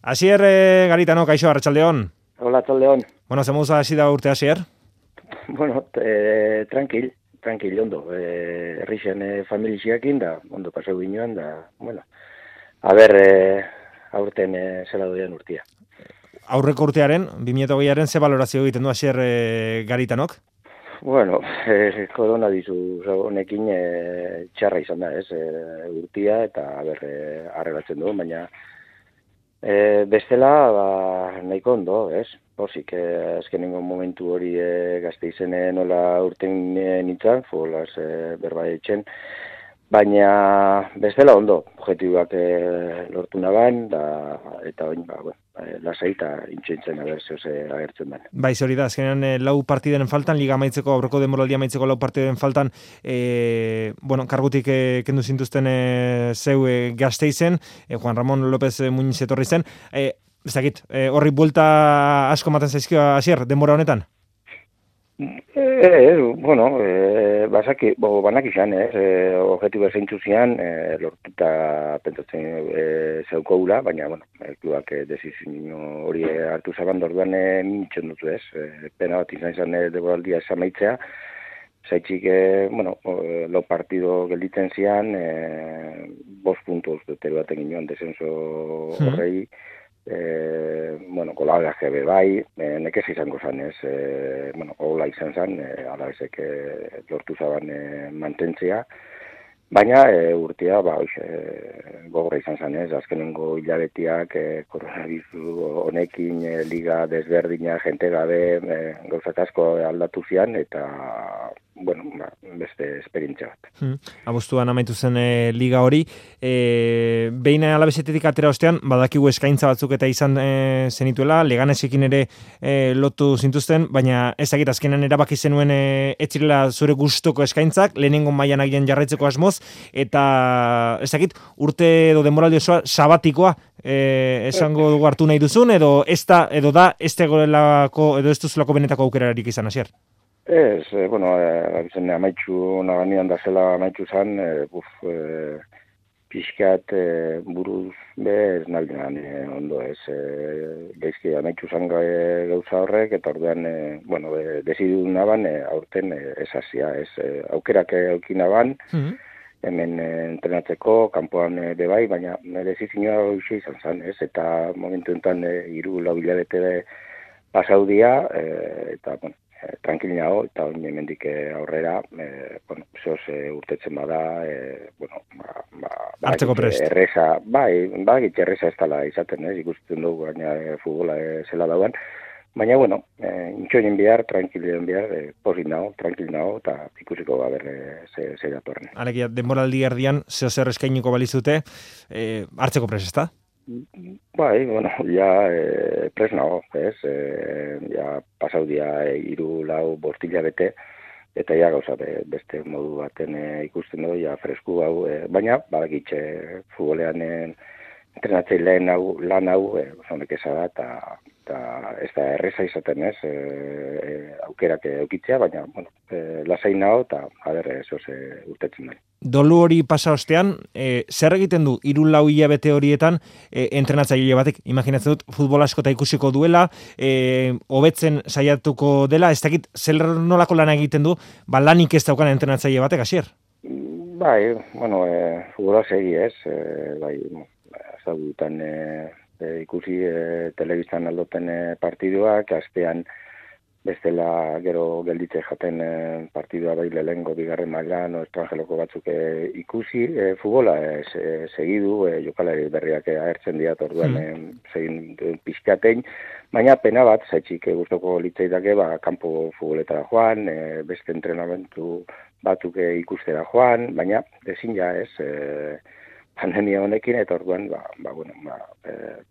Asier Garitano, kaixo, arratsaldeon. Hola, arratsaldeon. Bueno, zemuza hasi da urte, Asier? Bueno, tranquil, ondo. Herrixen familixiakin da, ondo paseu ginoan da, bueno. A ber, aurten zela doian urtia. Aurreko urtearen, 2008aren, ze balorazio egiten du Asier Garitanok? Bueno, korona dizu honekin txarra izan da, ez? Urtia eta arreglatzen du, baina bestela, nahiko ondo, ez? Pozik, azkenengo momentu hori Gasteizen nola urten nintzen, futbolaz berba etxen, baina bestela ondo, objektiboak lortu naban, eta oin, lasai eta intxentzen agertzen den. Baiz hori da, azkenean lau partidaren faltan, liga amaitzeko, aurreko denboraldia amaitzeko lau partidaren faltan, kargutik kendu zintuzten zeu Gasteizen, Juan Ramon López Muñiz etorri zen, horri buelta asko ematen zaizkio Asier, denbora honetan? Banak izan, objektibo zeintzu zian, lortuta pentsatzen zeukoula, baina, klubak desizio hori hartu zaban dorduan mintzen dutu ez, pena bat izan denboraldia esamaitzea, zaitxik, lo partido gelditzen zian, 5 puntos dute baten ginoan desenso horrei, kolagaje bai, nekez izango zan ez, hola izan zan, alabezek lortu zaban mantentzea, baina urtea, gogorra izan zan ez, azkenengo hilabetiak koronaviru honekin liga desberdina, jente gabe, gauzak asko aldatu zian, eta beste esperientzia bat. Abuztuan amaitu zen liga hori, behin alabezetetik atera ostean, badakigu eskaintza batzuk eta izan zenituela, Leganesekin ere lotu zintuzten, baina ez dakit azkenan erabaki zenuen etzirela zure gustoko eskaintzak, lehenengo mailan agian jarraitzeko asmoz, eta ez dakit urte edo denboraldi osoa sabatikoa esango dugu hartu nahi duzun, edo ez tegoelako edo ez duzulako benetako aukerarik izan, Asier? Ez, amaitxu naganian da zela amaitxu zan, pixkat buruz ez naldean ondo ez, gaizki amaitxu zan gauza horrek, eta ordean, desidu naban, aurten ez hasia, ez aukerak aukin naban, hemen entrenatzeko, kanpoan bebai, baina desizioa hoxe izan zan, ez, eta momentu enten 3-4 hilabete pasaudia, eta, tranquil nago, eta oin hemendik aurrera, zoz urtetzen bada, hartzeko prest. Erreza, erreza ez dala izaten, ikusten dugu, baina futbola zela dauan, baina, intxoinen bihar, tranquilen bihar, posit nago, tranquil nago, eta ikusiko ze datorren. Alegia, denboraldi erdian, zer eskainiko balizute, hartzeko prest, ezta? Pres nago, ez, pasaudia 3-4 bortila bete, eta gauza beste modu baten ikusten dugu, fresku hau, baina, badakitxe futbolean entrenatzeileen lan hau, zonek eza da, eta ez da erreza izaten ez, aukerak eukitzea, baina, lasai nago, eta urtetzen da. Dolu hori pasa ostean, zer egiten du 3-4 hilabete horietan entrenatzaile batek? Imaginatzen dut, futbol askota ikusiko duela, hobetzen saiatuko dela, ez dakit, zer nolako lan egiten du, lanik ez daukan entrenatzaile batek, Asier? Futbola segi ez, zagutan ikusi telebistan aldoten partiduak, astean bestela gero gelditze jaten partidua lehengo bigarren mailan, estrangeloko batzuk ikusi, futbola segidu, jokalari berriak agertzen dira, orduan segin pixkatein, baina pena bat, zaitxik gustoko litzaidake, kanpo futboletara joan, beste entrenamentu batzuk ikustera joan, baina ezin ez, pandemia honekin, eta orduan,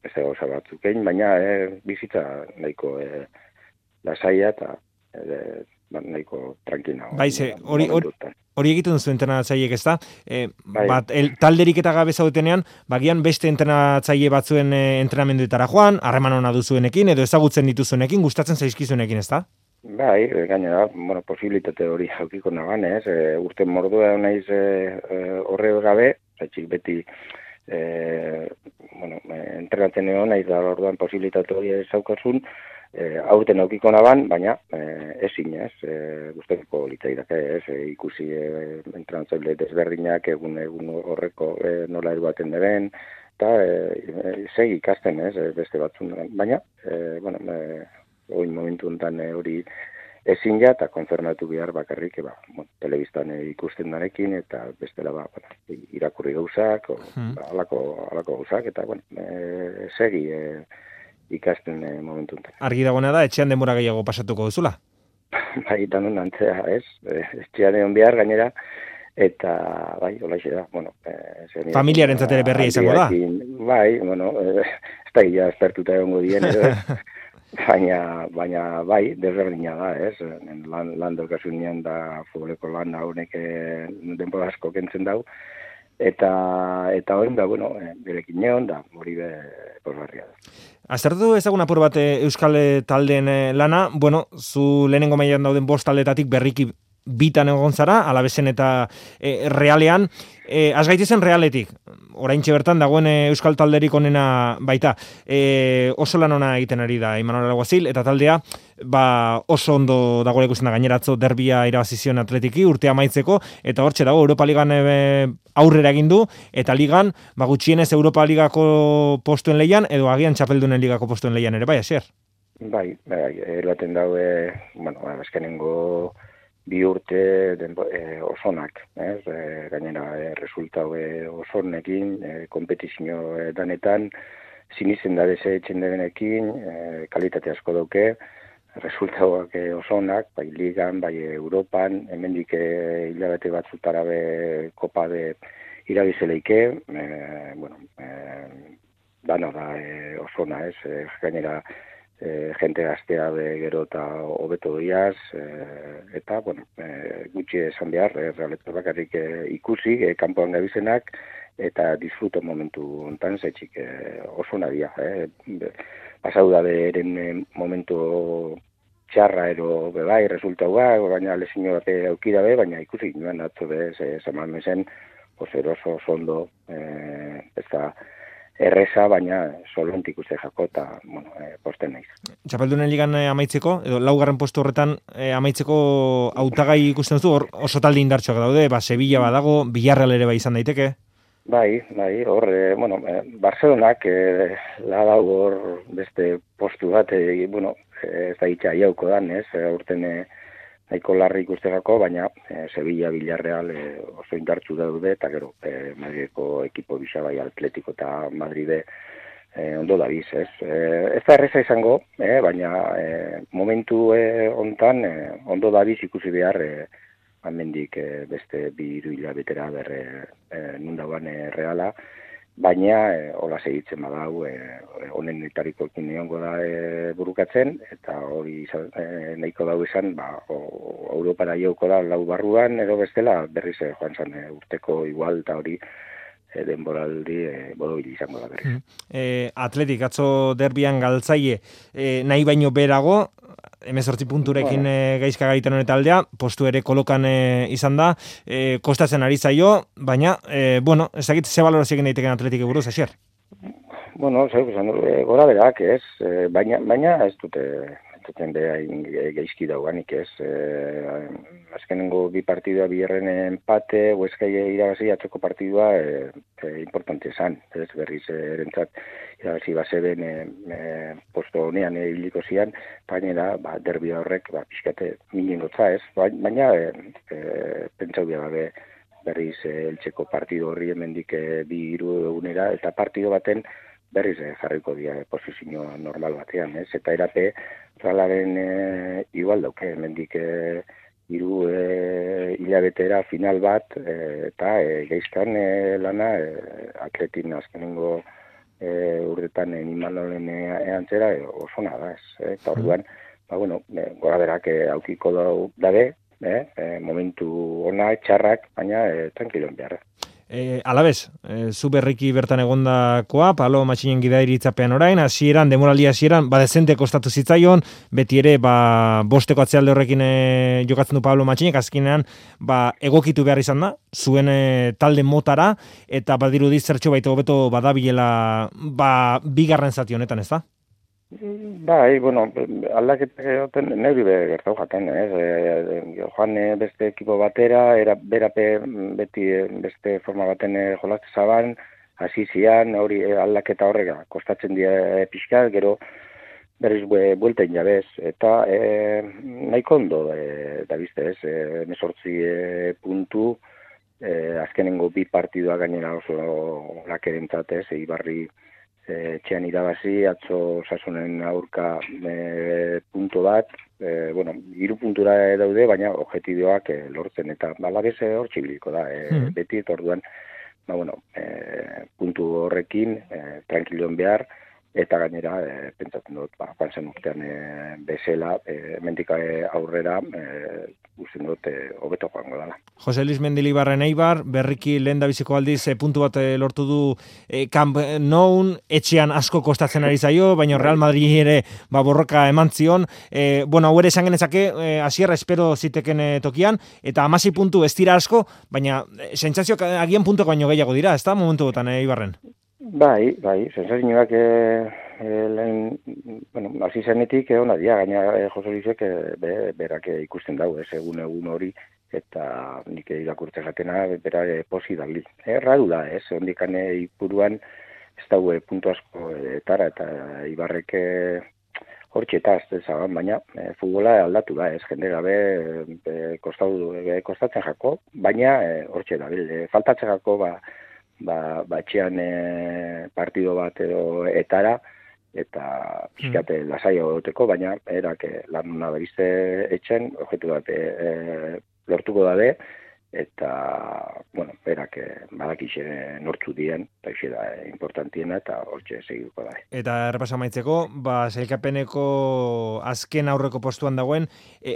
beste gauza batzuk egin, baina bizitza nahiko lasaia eta nahiko tranquila. Hori egiten duzu entrenatzaileek, ez da? Talderik eta gabe zaudetenean, bagian beste entrenatzaile batzuen entrenamenduetara joan, harreman ona duzuenekin, edo ezagutzen dituzuenekin, gustatzen zaizkizuenekin, ez da? Gainera, posibilitate hori jaukiko nagan, ez? Urte mordua naiz horre gabe, zaitxik beti bueno, entrenatzen egon, naiz da orduan posibilitate hori zaukasun, aurten aukiko naban, baina ezin ez, guztatuko litzaidake ez, ikusi entrenatzaile desberdinak egun horreko nola eruaten deben, eta segi ikasten ez, beste batzun, baina, bueno, oin momentu enten hori ezin ja, eta konfirmatu behar bakarrik, telebistan ikusten danekin, eta bestela, irakurri gauzak, alako gauzak, eta, segi ikasten momentu enten. Argi dagoena da, etxean denbora gehiago pasatuko duzula? Bai, danon antzea, ez? Etxean egon behar gainera, eta, bai, holaxe da, familiaren zatere berria izango da? Bai, ez da gila espertuta egongo dien, baina bai, desberdina da, ez? Lan daukasunean da futboleko lan honek denbora asko kentzen dau, eta hori da, berekin neon da, hori posgarria da. Aztertu ezagun apur bat Euskal taldeen lana, zu lehenengo mailan dauden 5 taldetatik berriki bitan egon zara, Alabezen eta Realean, az gaitezen Realetik, oraintxe bertan dagoen Euskal talderik onena baita, oso lan ona egiten ari da Imanol Alguazil, eta taldea oso ondo dagoela ikusten da, gaineratzo derbia irabazizion Atletiki urtea amaitzeko, eta hortxe dago Europa Ligan aurrera egin du, eta ligan gutxienez Europa Ligako postuen leian, edo agian Txapeldunen Ligako postuen leian ere, bai, Asier? Bai, eroaten daue, azkenengo 2 urte osonak, gainera resultau osonekin, kompetizio danetan, sinizen da etxen debenekin, kalitate asko dauke, resultauak osonak, bai ligan, bai Europan, hemendik hilabete batzutara kopa irabizeleike, dana da osona, gainera jente gaztea gero eta hobeto diaz, eta, gutxi esan behar, realeta bakarrik ikusi, kanpoan gabizenak, eta disfruto momentu ontan, zaitxik oso nadia. Pasau da eren momentu txarra ero bebai, resultaua, baina lezino bat aukida baina ikusi nuen atzo zaman mezen, eroso ondo, ez da erreza, baina solontik uste jako, eta, posten naiz. Txapeldunen Ligan amaitzeko, edo 4. postu horretan amaitzeko hautagai ikusten duzu, oso talde indartxoak daude, Sevilla badago, Villarreal ere izan daiteke? Bai, hor, Barcelonak ladau hor beste postu bat, ez da itxa jauko dan, urten nahiko larri ikusteko, baina Sevilla, Villarreal oso indartzu daude, eta gero Madrideko ekipo bisa, bai Atletiko eta Madride ondo dabiz, ez? Ez da erreza izango, baina momentu hontan ondo dabiz ikusi behar amendik beste 2 hilabetera nundagoan Reala, baina hola segitzen badau, honen etarikoekin neongo da burukatzen, eta hori nahiko dau izan, Europara jauko da 4 barruan, edo bestela berriz joan zan urteko igual, eta hori denboraldi borobil izango da berriz. Atletik, atzo derbian galtzaile, nahi baino berago, 18 punturekin gaizka garitan honet aldea, postu ere kolokan izan da, kostatzen ari zaio, baina, ezagit ze balorazio egin daiteken Atletik buruz, Asier? Gora berak, ez, baina ez dute behain gaizki dauganik, ez, azkenengo 2 partidua biherren empate, Hueskai irabazi atzoko partidua importante esan, ez berriz erentzat irabazi baseben posto honean hiliko zian, baina derbia horrek pixkate miningotza, ez, baina pentsau behar berriz eltseko partido horri hemendik 2-3 egunera, eta partido baten berriz jarriko dira posizio normal batean, ez? Eta erape Realaren igual dauke, hemendik 3 hilabetera final bat, eta geizkan lana Atletin azkenengo urtetan Imanolen antzera osona da, ez? Eta orduan, gora berak aukiko dabe, momentu ona, txarrak, baina tranquiloen behar. Alabez, zu berriki bertan egondakoa, Pablo Matxinen gidairitzapean orain, hasieran, demoraldia hasieran, dezente kostatu zitzaion, beti ere, bosteko atzealde horrekin jokatzen du Pablo Matxinek, azkenean, egokitu behar izan da, zuen talde motara, eta badirudi zertxo baita hobeto badabilela, bigarren zati honetan, ez da? Bai, bueno, aldaketak neuri gertau jaten, joan beste ekipo batera, berape beti beste forma baten jolazte zaban, hasi zian, hori aldaketa horrega, kostatzen dira pixka, gero berriz buelten jabez, eta nahiko ondo, da bizte ez, 18 puntu, azkenengo bi partidua gainera oso lakerentzat ez, Ibarri txean irabazi, atzo Osasunen aurka punto bat, 3 puntura daude, baina objektiboak lortzen, eta balabez hor txibiliko da, beti, eta orduan, puntu horrekin, tranquilon behar, eta gainera, pentsatzen dut, joan zen urtean bezala, hemendik aurrera, usten dut, hobeto joango dela. Jose Luis Mendilibarren Eibar, berriki lehen da biziko aldiz puntu bat lortu du Camp Nou, etxean asko kostatzen ari zaio, baina Real Madrid ere borroka eman zion. Hau ere esan genezake, hasierra espero ziteken tokian, eta 16 puntu ez dira asko, baina sentsazioak agian puntuko baino gehiago dira, ez da momentu botan Eibarren? Bai, sensazioak hasi zenetik ona dira, gaina Jose Luisek berak ikusten dau, egun hori, eta nik irakurtzen jatena, bera posi dali. Erradu da, ondikan ipuruan ez daue puntu asko eta Ibarrek hortxeta ez zaban, baina futbola aldatu da, jende gabe kostatzen jako, baina hortxe da, faltatzen jako, batxean partido bat edo etara, eta pixkate lasaio duteko, baina erak lan nabizte etxen, objektu bat lortuko dabe, eta, berak badakixe nortzu dien, eta ixe da importantiena, eta hortxe segituko da. Eta errepasa maitzeko, sailkapeneko azken aurreko postuan dagoen,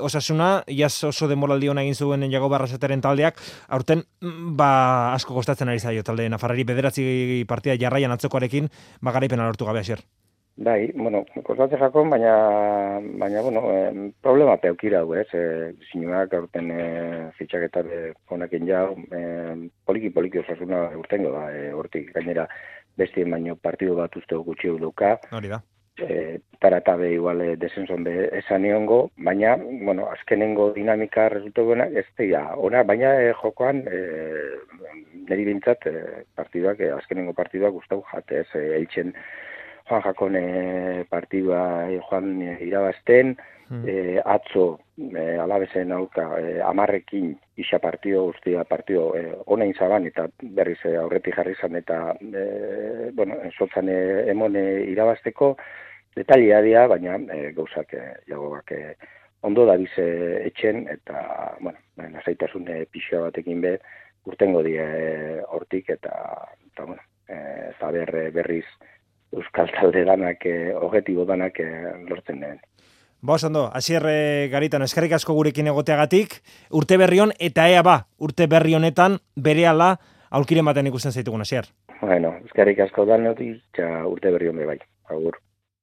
Osasuna, iaz oso demoraldi hona egin zuen Jago Barrasateren taldeak, aurten, asko kostatzen ari zaio talde Nafarrari 9 partida jarraian atzokoarekin, garaipena lortu gabe hasier. Bai, kostatzen jakon, baina problema peukira du, zinuak aurten fitxaketa honekin jau, poliki Osasuna urtengo da, hortik gainera bestien baino partidu bat uste gutxi duka. Hori da. Taratabe igual desenson esan niongo, baina, azkenengo dinamika resultu duena, ez da, ona, baina jokoan, niri bintzat, azkenengo partiduak gustau jate, eltzen Juan Jakone partidua Juan irabazten, atzo alabezen aurka 10ekin isa guztia partido ona inzaban, eta berriz aurretik jarri zan, eta sotzan emone irabazteko, detalia dira, baina gauzak Jagobak ondo da bize etxen, eta lasaitasun pixua batekin urtengo die hortik, eta berriz Euskal talde danak, objektibo danak lortzen den. Ondo, Asier Garitano, eskerrik asko gurekin egoteagatik, urte berri hon, eta urte berri honetan, berehala aurkiren baten ikusten zaitugun, Asier. Eskerrik asko danotik, urte berri hon bai, agur.